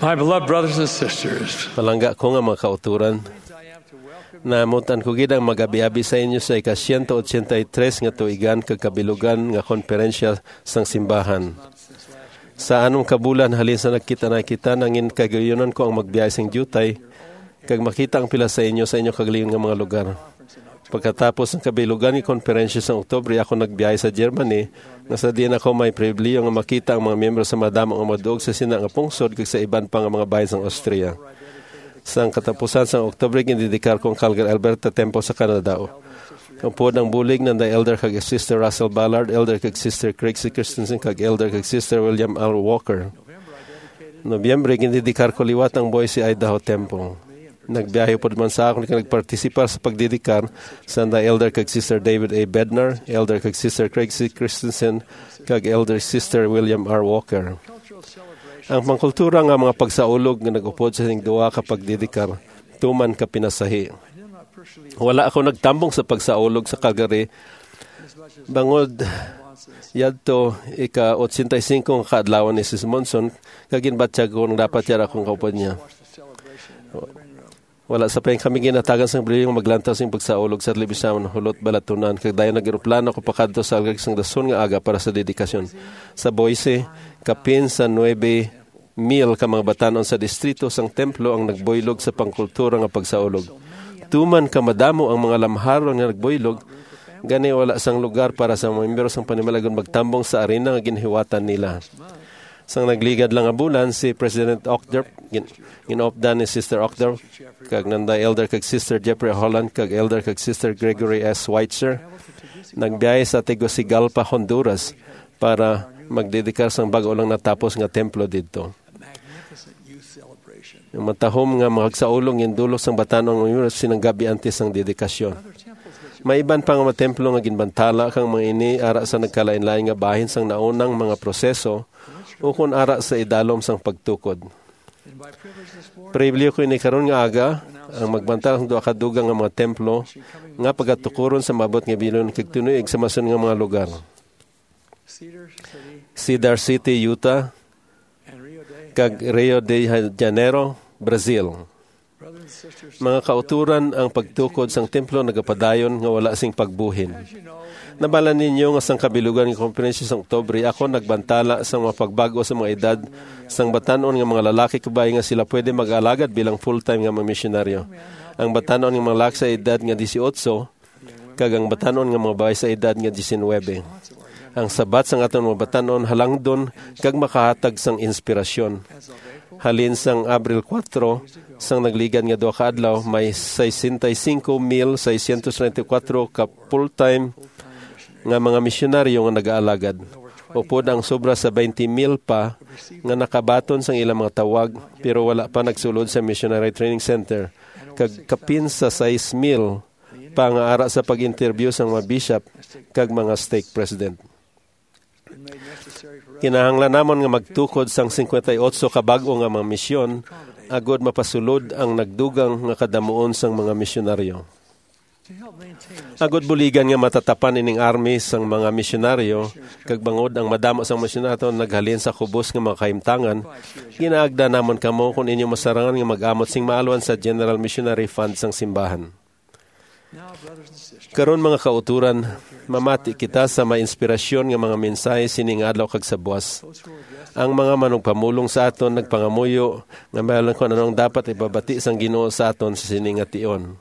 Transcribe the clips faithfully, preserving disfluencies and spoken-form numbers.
My beloved brothers and sisters, Palangga ko nga mga kauturan, namutan ko gid ang magabi-abi sa inyo sa ika-siyento otsenta y tres nga tuigan kag kabilugan nga konferensya sang simbahan. Sa anom ka bulan halin sa nagkita na kita, nangin kagayunan ko ang magbiyahe sing diutay kag makita ang pila sa inyo sa inyo kagalingon nga mga lugar. Pagkatapos ng kabilugan nga konferensya sa Oktubre, ako nagbiyahe sa Germany, nga sa diin ako may pribilehiyo nga makita ang mga miyembro sa madamo nga mga duog sa sina nga pungsod kag sa iban pa nga mga bahin sang Austria. Sang katapusan sang Oktubre, gindedikar ko ang Calgary, Alberta Temple sa Canada. Upod ang bulig, nanday Elder kag Sister Russell Ballard, Elder kag Sister Craig C. Christensen, kag Elder kag Sister William R. Walker. Nobyembre, gindedikar ko liwat ang Boise, Idaho Temple. Nagbiyahe upod man sa akon kag nagpartisipar sa pagdedikar sa nanday Elder kag Sister David A. Bednar, Elder kag Sister Craig C. Christensen, kag Elder Sister William R. Walker. Ang pangkultura nga mga pagsaulog nga nag-upod sa sing duha ka pagdedikar tuman ka pinasahi. Wala ako nagtambong sa pagsaulog sa Calgary bangod yadto ika-otsenta y singko nga kaadlawan ni Sis Monson, kag ginbatyag ko nga dapat yara akong kaupod niya. Wala sa pa kami ginatagan sang pribilehiyo nga maglantaw sing pagsaulog sa telebisawan, hulot balatunan, kag dayon nag-eroplano ako pakadto sa Algag sang dason nga aga para sa dedikasyon. Sa Boise, kapin sa nuebe mil ka mga batan-on sa distrito sang templo ang nagbuylog sa pangkultura nga pagsaulog. Tuman ka madamo ang mga lamharon nga nagbuylog, gani wala sang lugar para sa mga miyembro sang panimalay nga magtambong sa arena nga ginhiwatan nila. Sang nagligad lang nga bulan, si President Uchtdorf, gin-, gin-updan ni Sister Uchtdorf, kag nanday Elder kag Sister Jeffrey Holland, kag Elder kag Sister Gregory S. Schweitzer, nagbiyahe sa Tegucigalpa, Honduras, para magdedikar sang bag-o lang natapos nga templo didto. Ang matahom nga magsaulog gindulog sang batan-on nga oras sinang gab-i antes sang dedikasyon. May iban pa nga mga templo nga ginbantala kang mga ini ara sa nagkalain-lain nga bahin sang naunang mga proseso ukon ara sa idalom sang pagtukod. Pribilehiyo ko ini karon nga aga, ang magbantala sang duha ka dugang nga mga templo nga pagatukuron sa maabot nga bilyon kag tinuig sa masun nga mga lugar. Cedar City, Utah, kag Rio de Janeiro, Brazil. Mga kauturan, ang pagtukod sang templo nagapadayon nga wala sing pagbuhin. Nabala ninyo nga sang kabilugan nga konferensya sang Oktubre, ako nagbantala sang mga pagbag-o sa mga edad sang batan-on nga mga lalaki kag bayi nga sila pwede mag-alagad bilang full-time nga mga misyonaryo. Ang batan-on nga mga lalaki sa edad nga dieciocho kag ang batan-on nga mga babayi sa edad nga diecinuebe. Ang sabat sang aton mga batan-on halangdon kag makahatag sang inspirasyon. Halin sang Abril kuwatro, sang nagligad nga duha ka adlaw, may sesenta y cinco mil seiscientos treinta y cuatro ka full-time nga mga misyonaryo nga nagaalagad. Upod ang sobra sa twenty mil pa nga nakabaton sang ilang mga tawag, pero wala pa nagsulod sa Missionary Training Center, kag kapin sa sais mil pa nga ara sa pag-interview sang mga bishop kag mga stake president. Kinahanglan namon nga magtukod sang singkwenta y otso ka bag-o nga mga misyon agod mapasulod ang nagdugang nga kadamuon sang mga misyonaryo. Agod buligan nga matatapan ining army sang mga misyonaryo, kag bangod ang madamo sang misyonaryo naghalin sa kubos nga mga kahimtangan, ginaagda namon kamo kon inyo masarangan nga mag-amot sing maalwan sa General Missionary Fund sang simbahan. Karon, mga kauturan, mamati kita sa may inspirasyon nga mga mensahe sini nga adlaw kag sa buas. Ang mga manugpamulong sa aton nagpangamuyo nga may alam kon ano ang dapat ipabati sang Ginoo sa aton sa sini nga tion.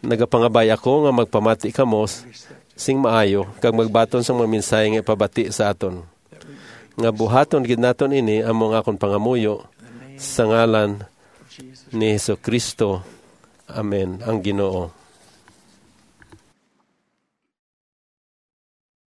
Nagapangabay ako nga magpamati kamo s-, sing maayo kag magbaton sang mga mensahe nga ipabati sa aton. Nga buhaton gid naton ini amo nga akon pangamuyo sa ngalan ni Jesu-Cristo. Amen. Ang Ginoo.